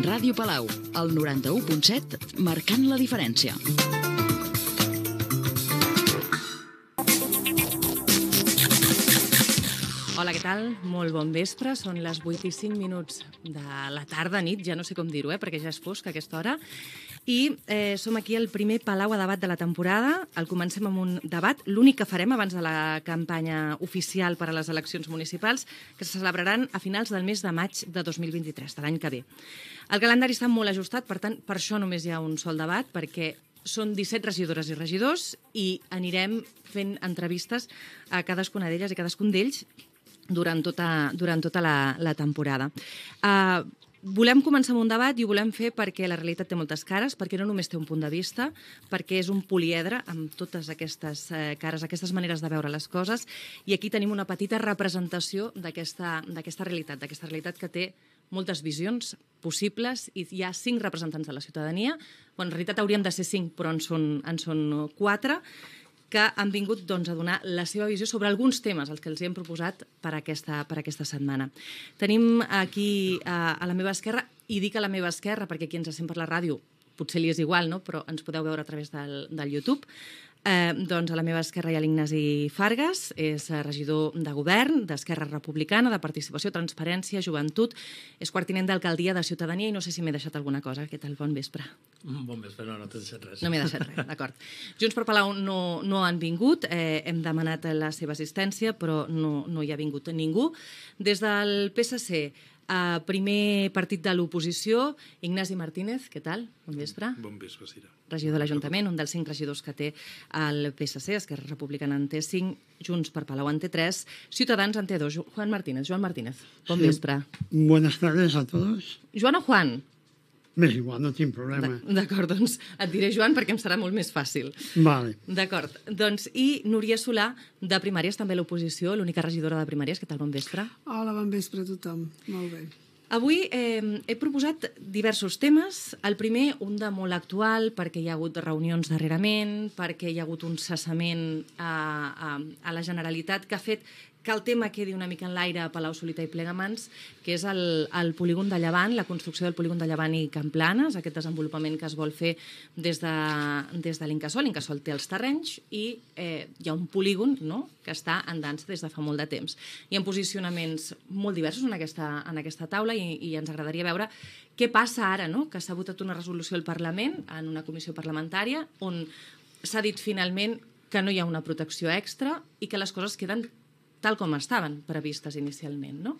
Ràdio Palau, el 91.7, marcant la diferència. Hola, què tal? Molt bon vespre. Són les 8:05 de la tarda, nit, ja no sé com dir-ho, perquè ja és fosc a aquesta hora. I som aquí al primer Palau a debat de la temporada. El comencem amb un debat, l'únic que farem abans de la campanya oficial per a les eleccions municipals, que se celebraran a finals del mes de maig de 2023, de l'any que ve. El calendari està molt ajustat, per tant, per això només hi ha un sol debat, perquè són 17 regidores i regidors i anirem fent entrevistes a cadascuna d'elles i cadascun d'ells durant tota la temporada. Volem començar amb un debat i ho volem fer perquè la realitat té moltes cares, perquè no només té un punt de vista, perquè és un poliedre amb totes aquestes cares, aquestes maneres de veure les coses, i aquí tenim una petita representació d'aquesta realitat que té moltes visions possibles i hi ha 5 representants de la ciutadania. En realitat hauríem de ser 5, però en són 4, que han vingut a donar la seva visió sobre alguns temes, els que els hem proposat per aquesta setmana. Tenim aquí a la meva esquerra, i dic a la meva esquerra perquè qui ens sent per la ràdio potser li és igual, no? Però ens podeu veure a través del YouTube. Doncs a la meva esquerra hi ha l'Ignasi Fargas, és regidor de Govern, d'Esquerra Republicana, de Participació, Transparència, Joventut, és quartinent d'Alcaldia de Ciutadania i no sé si m'he deixat alguna cosa. Què tal? Bon vespre. Bon vespre, no t'he deixat res. No m'he deixat res, d'acord. Junts per Palau no han vingut, hem demanat la seva assistència, però no hi ha vingut ningú. Des del PSC, primer partit de l'oposició, Ignasi Martínez, què tal? Bon vespre. Bon vespre, Cira. Regidor de l'Ajuntament, un dels 5 regidors que té el PSC, Esquerra Republicana en té 5, Junts per Palau en té 3, Ciutadans en té 2. Joan Martínez, bon vespre. Buenas tardes a todos. Joan o Juan? M'és igual, no tinc problema. D'acord, doncs et diré Joan perquè em serà molt més fàcil. Vale. D'acord, doncs i Núria Solà, de Primàries, també a l'oposició, l'única regidora de Primàries. Què tal, bon vespre? Hola, bon vespre a tothom. Molt bé. Avui he proposat diversos temes. El primer, un de molt actual, perquè hi ha hagut reunions darrerament, perquè hi ha hagut un cessament a la Generalitat que ha fet que el tema quedi una mica en l'aire a Palau-solità i Plegamans, que és el polígon de Llevant, la construcció del polígon de Llevant i Camplanes, aquest desenvolupament que es vol fer des de l'Incasòl. L'Incasòl té els terrenys i hi ha un polígon, no?, que està en dansa des de fa molt de temps. Hi ha posicionaments molt diversos en aquesta taula i ens agradaria veure què passa ara, no?, que s'ha votat una resolució al Parlament en una comissió parlamentària on s'ha dit finalment que no hi ha una protecció extra i que les coses queden tal com estaven previstes inicialment, no?